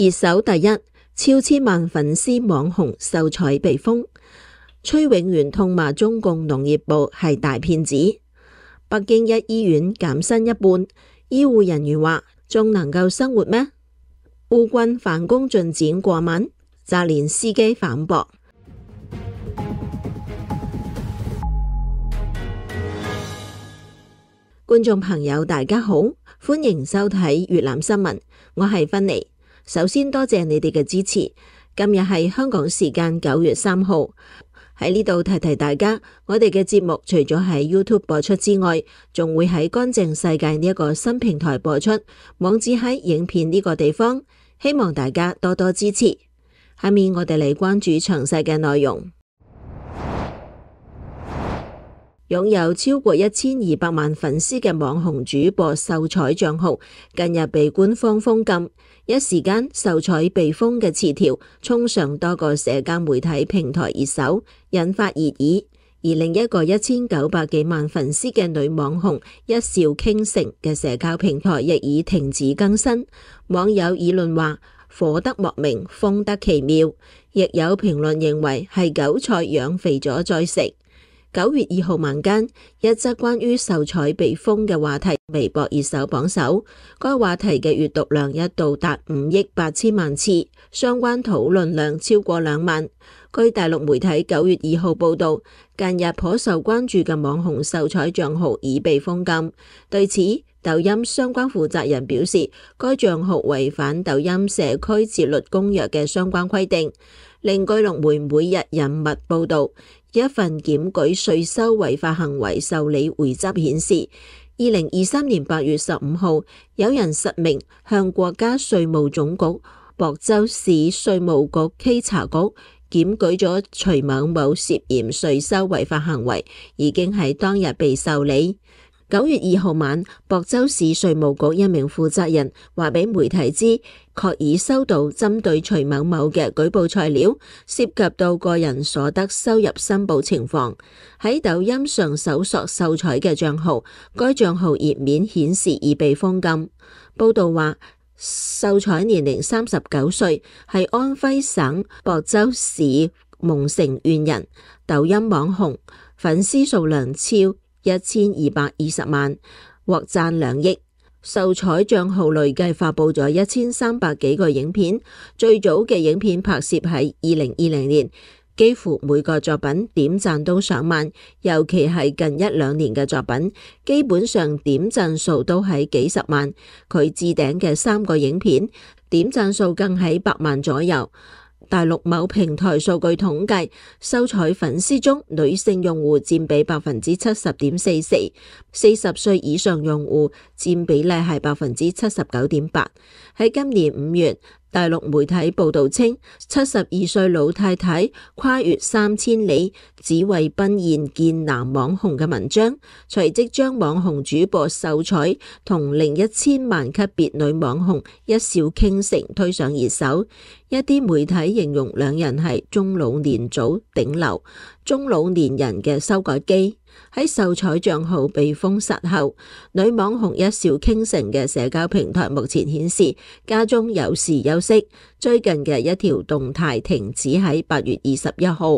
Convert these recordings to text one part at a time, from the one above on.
熱搜第一，超千萬粉絲網紅秀才被封，崔永元痛罵中共農業部係大騙子。北京一醫院減薪一半，醫護人員話仲能夠生活咩？烏軍反攻進展過慢，澤連斯基反駁。觀眾朋友大家好，歡迎收睇粵覽新聞，我係芬妮。首先多謝你哋嘅支持。今日係香港時間9月3號，喺呢度提提大家，我哋嘅節目除咗喺 YouTube 播出之外，仲會喺乾淨世界呢一個新平台播出，網址喺影片呢個地方，希望大家多多支持。下面我哋嚟關注詳細嘅內容。擁有超過1200萬粉絲嘅網紅主播秀才賬號近日被官方封禁，一時間秀才被封嘅詞條衝上多個社交媒體平台熱搜，引發熱議。而另一個1900幾萬粉絲嘅女網紅一笑傾城嘅社交平台亦已停止更新，網友議論話火得莫名，封得奇妙，亦有評論認為係韭菜養肥咗再食。9月2號晚間，一則關於秀才被封嘅話題微博熱搜榜首，該話題嘅閱讀量一度達5億8千萬次，相關討論量超過2萬。據大陸媒體9月2號報道，近日頗受關注嘅網紅秀才賬號已被封禁。對此，抖音相關負責人表示，該賬號違反抖音社區自律公約嘅相關規定。另據龍媒每日人物報道，一份檢舉稅收違法行為受理回執顯示，2023年8月15號，有人實名向國家稅務總局、亳州市稅務局稽查局檢舉咗徐某某涉嫌稅收違法行為，已經喺當日被受理。9月2號晚，亳州市稅務局一名負責人話俾媒體知，確已收到針對徐某某嘅舉報材料，涉及到個人所得收入申報情況。喺抖音上搜索秀才嘅賬號，該賬號頁面顯示已被封禁。報道話，秀才年齡39歲，係安徽省亳州市蒙城縣人，抖音網紅，粉絲數量超1220萬，獲讚2億。秀才賬號累計發佈咗1300幾個影片，最早嘅影片拍攝喺2020年，幾乎每個作品點讚都上萬，尤其係近1-2年嘅作品，基本上點讚數都喺幾十萬。佢置頂嘅3個影片，點讚數更喺100萬左右。大陸某平台數據統計，秀才粉絲中女性用戶佔比 70.44%，40歲以上用戶佔比例係 79.8%。喺今年5月，大陸媒體報道稱，72歲老太太跨越3千里，只為奔現見男網紅嘅文章，隨即將網紅主播秀才同另1000萬級別女網紅一笑傾城推上熱搜。一啲媒體形容兩人係中老年組頂流，中老年人嘅修改機。喺秀才賬號被封殺後，女網紅一笑傾城嘅社交平台目前顯示家中有事休息。最近嘅一條動態停止喺8月21號。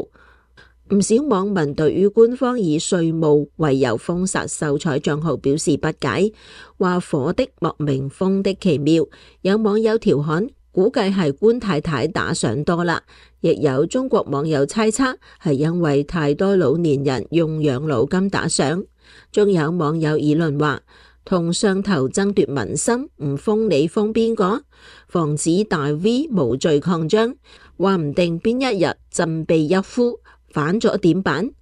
唔少網民對於官方以稅務為由封殺秀才賬號表示不解，話火的莫名，封的奇妙。有網友調侃，估計係官太太打賞多啦，亦有中國網友猜測係因為太多老年人用養老金打賞。仲有網友議論話，同上頭爭奪民心，唔封你封邊個？防止大 V 無罪擴張，話唔定邊一日振臂一呼，反咗點辦？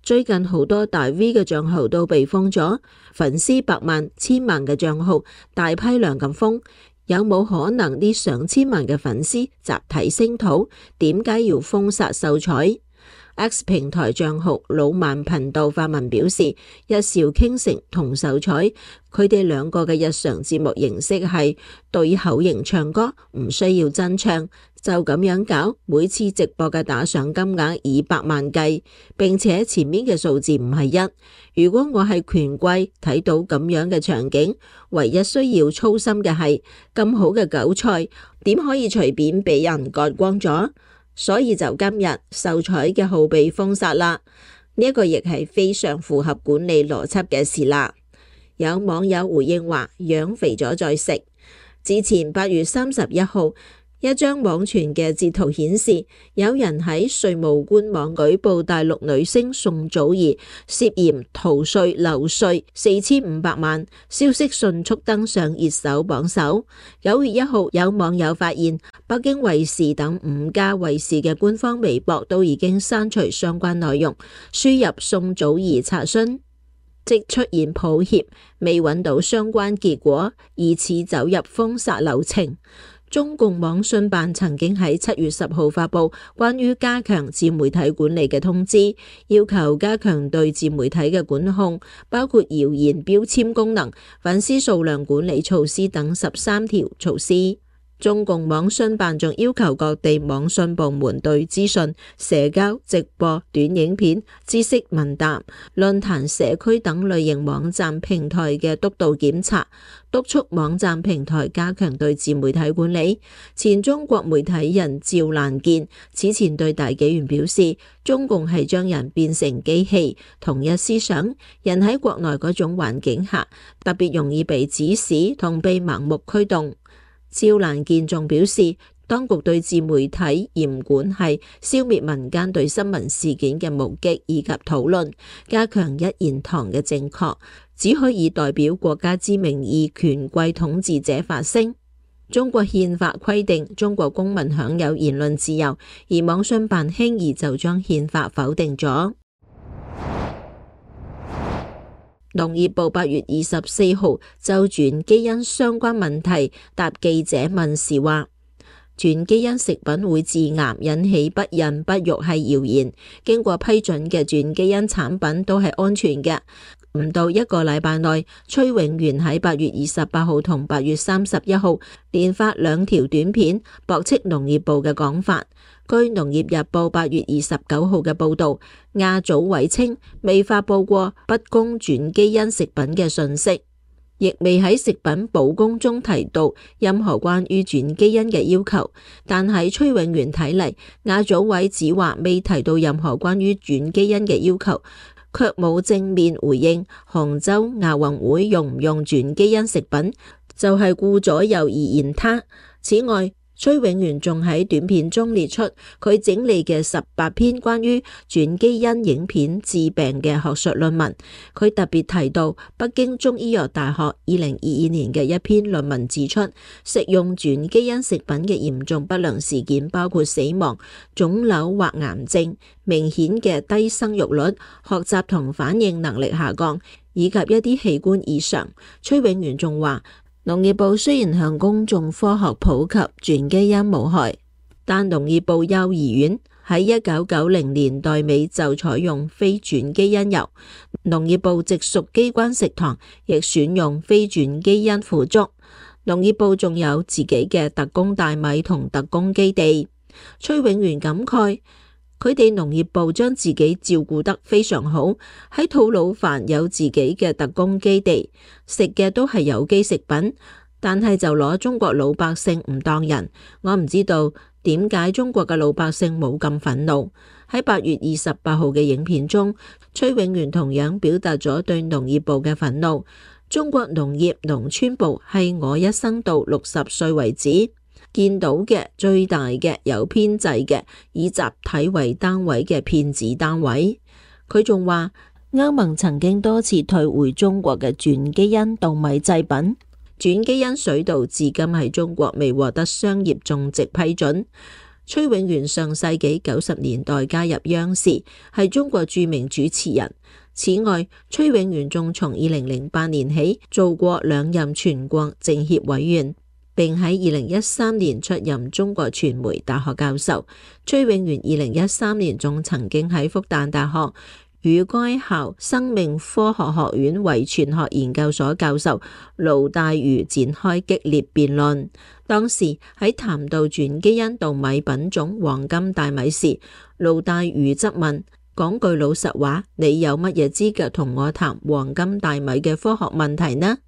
最近好多大 V 嘅賬號都被封咗，粉絲100萬、1000萬嘅賬號大批量咁封。有冇可能啲上千萬嘅粉絲集體聲討？點解要封殺秀才？ X 平台賬號老萬頻道發文表示，一兆傾城同秀才佢哋兩個嘅日常節目形式係對口型唱歌，唔需要真唱，就咁樣搞，每次直播嘅打賞金額以百萬計，並且前面嘅數字唔係一。如果我係權貴睇到咁樣嘅場景，唯一需要操心嘅係咁好嘅韭菜點可以隨便俾人割光咗？所以就今日秀才嘅號被封殺啦，呢一個亦係非常符合管理邏輯嘅事啦。有網友回應話：養肥咗再食。之前8月31號，一張網傳嘅截圖顯示，有人喺稅務官網舉報大陸女星宋祖兒涉嫌逃稅漏稅4500萬，消息迅速登上熱搜榜首。9月1號，有網友發現北京衛視等5家衛視嘅官方微博都已經刪除相關內容，輸入宋祖兒查詢即出現抱歉，未揾到相關結果，疑似走入封殺流程。中共網信辦曾經喺7月10號發布關於加強自媒體管理嘅通知，要求加強對自媒體嘅管控，包括謠言標籤功能、粉絲數量管理措施等13條措施。中共網信辦仲要求各地網信部門對資訊、社交、直播、短影片、知識問答、論壇、社區等類型網站平台嘅督導檢查，督促網站平台加強對自媒體管理。前中國媒體人趙蘭健此前對大紀元表示，中共係將人變成機器，同一思想，人喺國內嗰種環境下，特別容易被指使同被盲目驅動。趙蘭健仲表示，當局對自媒體嚴管係消滅民間對新聞事件嘅目擊以及討論，加強一言堂嘅正確，只可以代表國家之名義權貴統治者發聲。中國憲法規定中國公民享有言論自由，而網信辦輕易就將憲法否定咗。農業部8月24號就轉基因相關問題答記者問時話，轉基因食品會致癌，引起不孕不育係謠言，經過批准嘅轉基因產品都係安全嘅。唔到1個禮拜內，崔永元喺8月28號同8月31號連發2條短片，駁斥農業部嘅講法。據農業日報8月29號嘅報導，亞組委稱未發佈過不供轉基因食品嘅訊息，亦未喺食品保供中提到任何關於轉基因嘅要求。但喺崔永元睇嚟，亞組委只話未提到任何關於轉基因嘅要求，卻冇正面回應杭州亞運會用唔用轉基因食品，就係顧左右而言他。此外，崔永元仲喺短片中列出佢整理嘅18篇關於轉基因影片治病嘅學術論文。佢特別提到北京中醫藥大學2022年嘅一篇論文指出，食用轉基因食品嘅嚴重不良事件包括死亡、腫瘤或癌症、明顯嘅低生育率、學習同反應能力下降，以及一啲器官異常。崔永元仲話，農業部雖然向公眾科學普及轉基因無害，但農業部幼兒園喺1990年代尾就採用非轉基因油，農業部直屬機關食堂亦選用非轉基因腐竹。農業部仲有自己嘅特供大米同特供基地。崔永元感慨，佢哋農業部將自己照顧得非常好，喺吐魯番有自己嘅特供基地，食嘅都係有機食品，但係就攞中國老百姓唔當人。我唔知道點解中國嘅老百姓冇咁憤怒。喺8月28號嘅影片中，崔永元同樣表達咗對農業部嘅憤怒。中國農業農村部係我一生到60歲為止見到嘅最大嘅有編制嘅以集體為單位嘅騙子單位。佢仲話，歐盟曾經多次退回中國嘅轉基因稻米製品，轉基因水稻至今喺中國未獲得商業種植批准。崔永元上世紀90年代加入央視，係中國著名主持人。此外，崔永元仲從2008年起做過2任全國政協委員。並喺2013年出任中國傳媒大學教授。崔永元2013年仲曾經喺復旦大學與該校生命科學學院遺傳學研究所教授盧大愚展開激烈辯論。當時喺談到轉基因稻米品種黃金大米時，盧大愚質問：講句老實話，你有乜嘢資格同我談黃金大米嘅科學問題呢？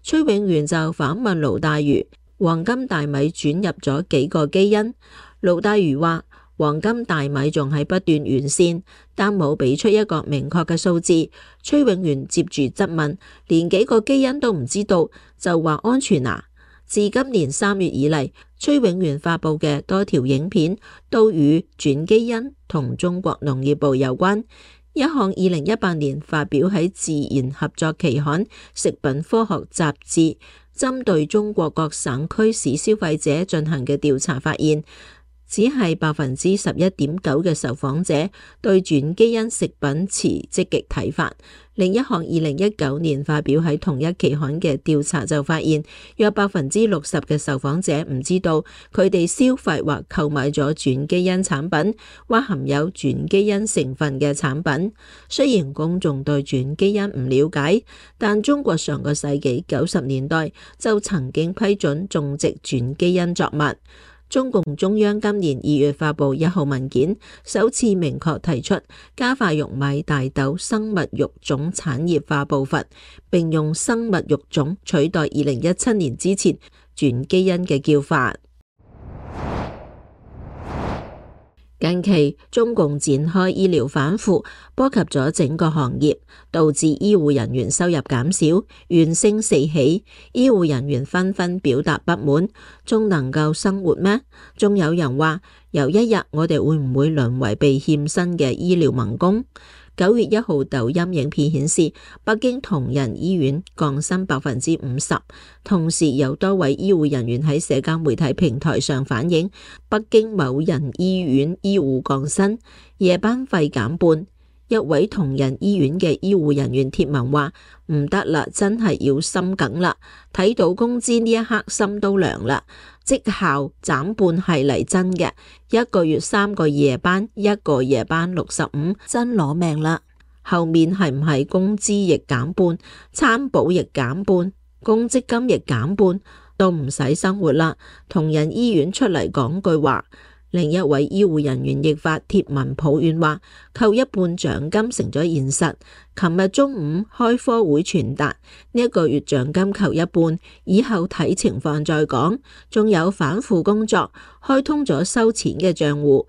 崔永元就反問盧大愚：黃金大米轉入咗幾個基因？盧大愚話：黃金大米仲係不斷完善，但冇俾出一個明確嘅數字。崔永元接住質問：連幾個基因都唔知道，就話安全啊？自今年3月以嚟，崔永元發布嘅多條影片都與轉基因同中國農業部有關。一項2018年發表喺《自然合作期刊》食品科學雜誌，針對中國各省區市消費者進行嘅調查發現，只係11.9%嘅受訪者對轉基因食品持積極睇法。另一項2019年發表喺同一期刊嘅調查就發現，約60%嘅受訪者唔知道佢哋消費或購買咗轉基因產品或含有轉基因成分嘅產品。雖然公眾對轉基因唔了解，但中國上個世紀90年代就曾經批准種植轉基因作物。中共中央今年2月發布1號文件，首次明確提出加快玉米、大豆生物育種產業化步伐，並用生物育種取代2017年之前轉基因嘅叫法。近期中共展開醫療反腐，波及咗整個行業，導致醫護人員收入減少，怨聲四起，醫護人員紛紛表達不滿，仲能夠生活咩？仲有人話，有一日我哋會唔會淪為被欠薪嘅醫療民工？9月1號抖音影片顯示，北京同仁醫院降薪50%，同時有多位醫護人員喺社交媒體平台上反映，北京某人醫院醫護降薪，夜班費減半。一位同仁醫院嘅醫護人員貼文話：唔得啦，真係要心梗啦，睇到工資呢一刻心都涼啦，績效減半係嚟真嘅，1個月3個夜班，1個夜班65，真攞命啦。後面係唔係工資亦減半，餐補亦減半，公積金亦減半，都唔使生活啦。同仁醫院出嚟講句話。另一位醫護人員亦發帖文抱怨話，扣一半獎金成咗現實。琴日中午開科會傳達，呢一個月獎金扣一半，以後睇情況再講。仲有反腐工作，開通咗收錢嘅賬戶，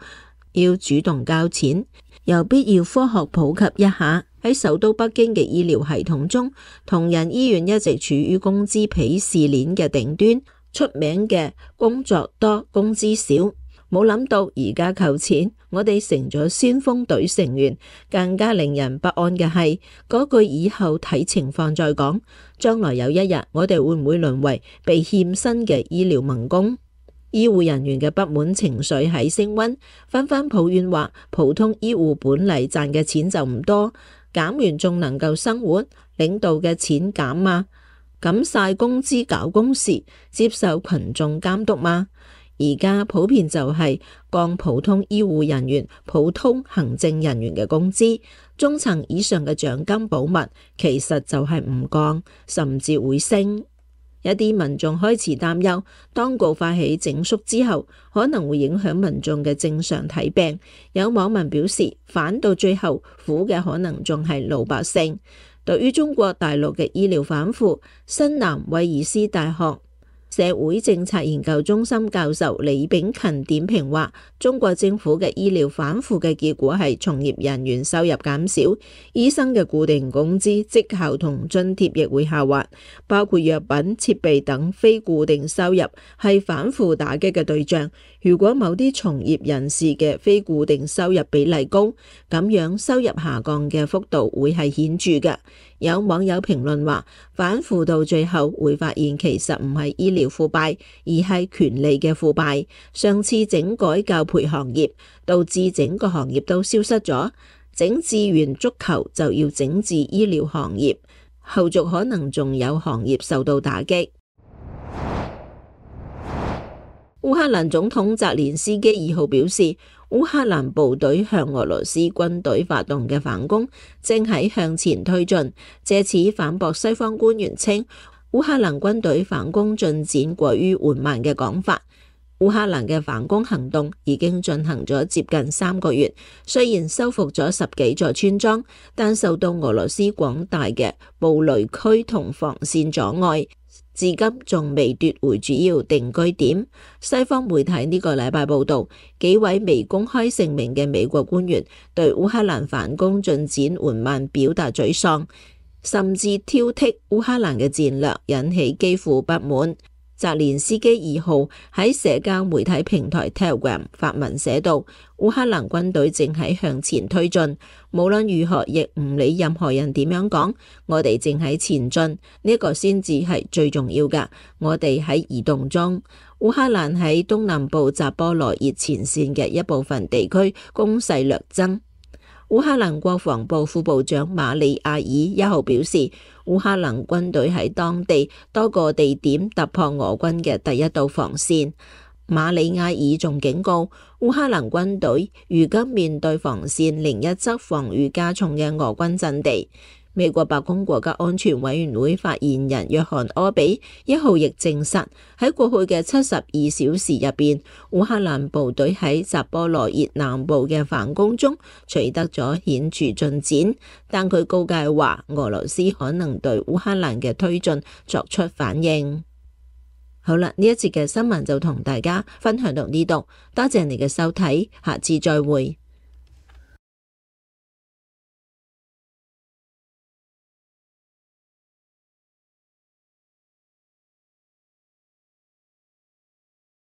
要主動交錢。有必要科學普及一下，喺首都北京嘅醫療系統中，同仁醫院一直處於工資鄙視鏈嘅頂端，出名嘅工作多，工資少。冇諗到而家扣錢，我哋成咗先鋒隊成員。更加令人不安嘅係嗰句以後睇情況再講。將來有一日，我哋會唔會淪為被欠薪嘅醫療民工？醫護人員嘅不滿情緒喺升溫，紛紛抱怨話：普通醫護本嚟賺嘅錢就唔多，減完仲能夠生活？領導嘅錢減嗎？減晒工資搞公事，接受群眾監督嗎？而家普遍就係降普通醫護人員、普通行政人員嘅工資，中層以上嘅獎金保密，其實就係唔降，甚至會升。一啲民眾開始擔憂，當局發起整肅之後，可能會影響民眾嘅正常睇病。有網民表示，反到最後苦嘅可能仲係老百姓。對於中國大陸嘅醫療反腐，新南威爾斯大學社會政策研究中心教授李炳勤點評話，中國政府嘅醫療反腐嘅結果係從業人員收入減少，醫生嘅固定工資、績效同津貼亦會下滑，包括藥品、設備等非固定收入係反腐打擊嘅對象。如果某啲從業人士嘅非固定收入比例高，咁樣收入下降嘅幅度會係顯著嘅。有網友評論話，反腐到最後會發現其實唔係醫療腐敗，而係權力嘅腐敗。上次整改教培行業，導致整個行業都消失咗，整治完足球就要整治醫療行業，後續可能仲有行業受到打擊。烏克蘭總統澤連斯基2號表示，烏克蘭部隊向俄羅斯軍隊發動嘅反攻正喺向前推進，借此反駁西方官員稱烏克蘭軍隊反攻進展過於緩慢嘅講法。烏克蘭嘅反攻行動已經進行咗接近3個月，雖然收復咗10幾座村莊，但受到俄羅斯廣大嘅布雷區同防線阻礙，至今仲未奪回主要定居點。西方媒體呢個禮拜報道，幾位未公開姓名嘅美國官員對烏克蘭反攻進展緩慢表達沮喪，甚至挑剔烏克蘭嘅戰略，引起基輔不滿。澤連斯基2號喺社交媒體平台 Telegram 發文寫道，烏克蘭軍隊正喺向前推進，無論如何亦唔理任何人點樣講，我哋正喺前進，呢個先至係最重要㗎。我哋喺移動中。烏克蘭喺東南部扎波羅熱前線嘅一部分地區攻勢略增。烏克蘭國防部副部長馬里亞爾1號表示，烏克蘭軍隊喺當地多個地點突破俄軍嘅第一道防線。馬里亞爾仲警告，烏克蘭軍隊如今面對防線另一側防禦加重嘅俄軍陣地。美國白宮國家安全委員會發言人約翰柯比1號亦證實，喺過去嘅72小時入邊，烏克蘭部隊喺扎波羅熱南部嘅反攻中取得咗顯著進展，但佢告誡話俄羅斯可能對烏克蘭嘅推進作出反應。好啦，呢一節嘅新聞就同大家分享到呢度，多謝你嘅收睇，下次再會。